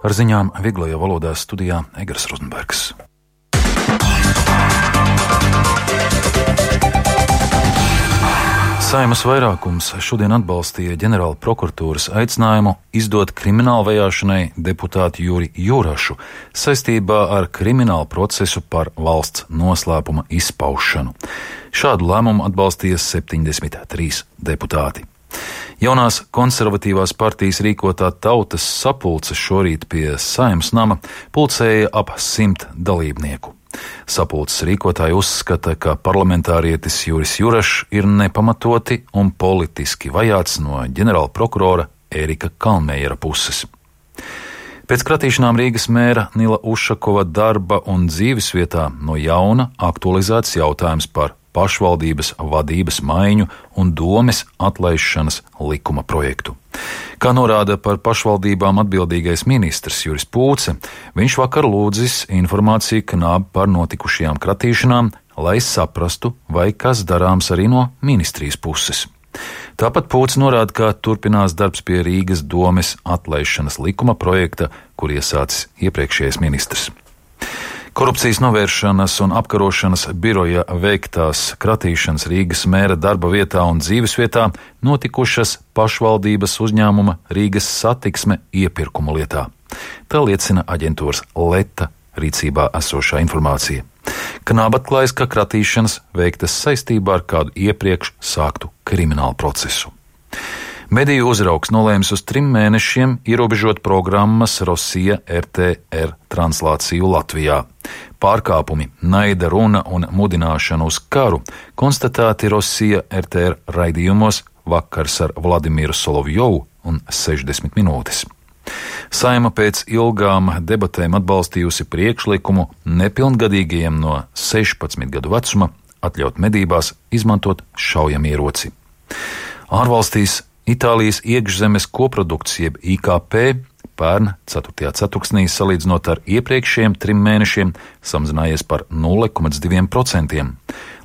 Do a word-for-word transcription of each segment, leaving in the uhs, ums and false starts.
Ar ziņām vieglajā valodā studijā Egars Rozenbergs. Saeimas vairākums šodien atbalstīja ģenerāla prokuratūras aicinājumu izdot kriminālu vajāšanai deputātu Juri Jurašu saistībā ar kriminālu procesu par valsts noslēpuma izpaušanu. Šādu lēmumu atbalstīja septiņdesmit trīs deputāti. Jaunās konservatīvās partijas rīkotā tautas sapulce šorīt pie Saeimas nama pulcēja ap simt dalībnieku. Sapulces rīkotāji uzskata, ka parlamentārietis Juris Jurašs ir nepamatoti un politiski vajāts no ģenerāla prokurora Ērika Kalmējera puses. Pēc kratīšanām Rīgas mēra Nila Ušakova darba un dzīvesvietā no jauna aktualizēts jautājums par pašvaldības vadības maiņu un domes atlaišanas likuma projektu. Kā norāda par pašvaldībām atbildīgais ministrs Juris Pūce, viņš vakar lūdzis informāciju Knāb par notikušajām kratīšanām, lai saprastu, vai kas darāms arī no ministrijas puses. Tāpat Pūce norāda, ka turpinās darbs pie Rīgas domes atlaišanas likuma projekta, kur iesācis iepriekšējais ministrs. Korupcijas novēršanas un apkarošanas biroja veiktās kratīšanas Rīgas mēra darba vietā un dzīvesvietā notikušas pašvaldības uzņēmuma Rīgas satiksme iepirkuma lietā. Tā liecina aģentūras Leta rīcībā esošā informācija. Knāb atklājas, ka kratīšanas veiktas saistībā ar kādu iepriekš sāktu kriminālu procesu. Mediju uzraugs nolēmis uz trim mēnešiem ierobežot programmas Rosija R T R translāciju Latvijā. Pārkāpumi, naida runa un mudināšana uz karu konstatēti Rosija R T R raidījumos Vakars ar Vladimiru Solovjovu un sešdesmit minūtes. Saeima pēc ilgām debatēm atbalstījusi priekšlikumu nepilngadīgajiem no sešpadsmit gadu vecuma atļaut medībās izmantot šaujamieroci. Ārvalstīs Itālijas iekšzemes koprodukts jeb I K P pērn ceturtajā ceturksnī salīdzinot ar iepriekšējiem trim mēnešiem samazinājies par nulle komats divi procenti.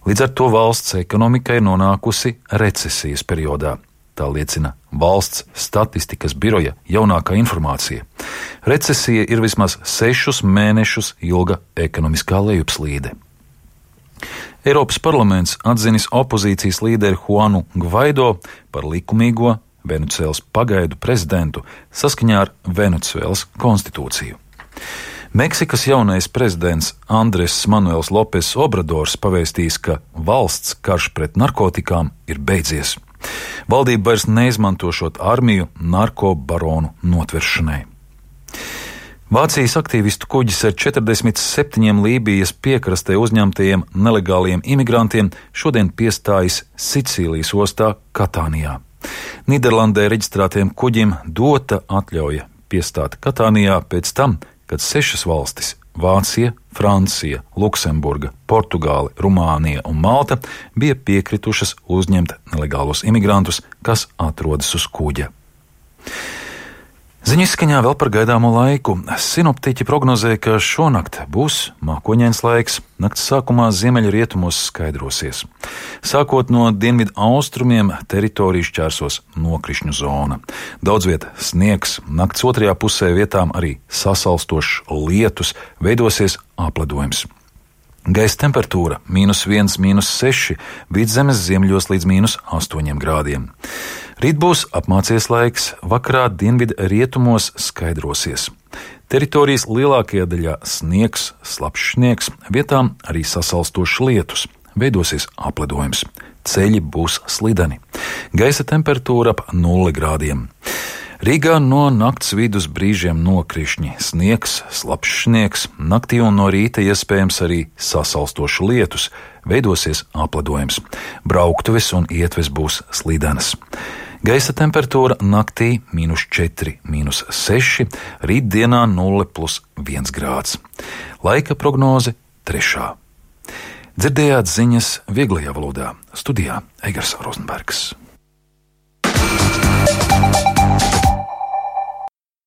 Līdz ar to valsts ekonomika ir nonākusi recesijas periodā. Tā liecina valsts statistikas biroja jaunākā informācija. Recesija ir vismaz sešus mēnešus ilga ekonomiskā lejupslīde. Eiropas parlaments atzinis opozīcijas līderi Juanu Gvaido par likumīgo Venecuēlas pagaidu prezidentu saskaņā ar Venecuēlas konstitūciju. Meksikas jaunais prezidents Andres Manuels Lopes Obradors pavēstījis, ka valsts karš pret narkotikām ir beidzies. Valdība vairs neizmantošot armiju narkobaronu notveršanai. Vācijas aktīvistu kuģis ar četrdesmit septiņiem Lībijas piekrastē uzņemtajiem nelegāliem imigrantiem šodien piestājas Sicīlijas ostā Katānijā. Nīderlandē reģistrētiem kuģim dota atļauja piestāt Katānijā pēc tam, kad sešas valstis – Vācija, Francija, Luksemburga, Portugāle, Rumānija un Malta – bija piekritušas uzņemt nelegālos imigrantus, kas atrodas uz kuģa. Ziņu izskaņā vēl par gaidāmo laiku. Sinoptiķi prognozē, ka šonakt būs mākoņains laiks, nakts sākumā ziemeļrietumos skaidrosies. Sākot no dienvidu austrumiem teritoriju šķērsos nokrišņu zona. Daudz viet sniegs, nakts otrajā pusē vietām arī sasalstošs lietus, veidosies apledojums. Gaisa temperatūra mīnus viens, mīnus seši, vidzemes ziemeļos līdz mīnus astoņiem grādiem. Rīt būs apmācies laiks, vakarā dienvidu rietumos skaidrosies. Teritorijas lielākajā daļā sniegs, slapjš sniegs, vietām arī sasalstošs lietus, veidosies apledojums. Ceļi būs slideni. Gaisa temperatūra ap nulli grādiem. Rīgā no nakts vidus brīžiem nokrišņi, sniegs, slapjš sniegs, naktī un no rīta iespējams arī sasalstošs lietus, veidosies apledojums. Brauktuves un ietves būs slidenas. Gaisa temperatūra naktī mīnus četri, mīnus seši, rītdienā nulle plus viens grāds. Laika prognoze trešā. Dzirdējāt ziņas vieglajā valodā. Studijā Egars Rozenbergs.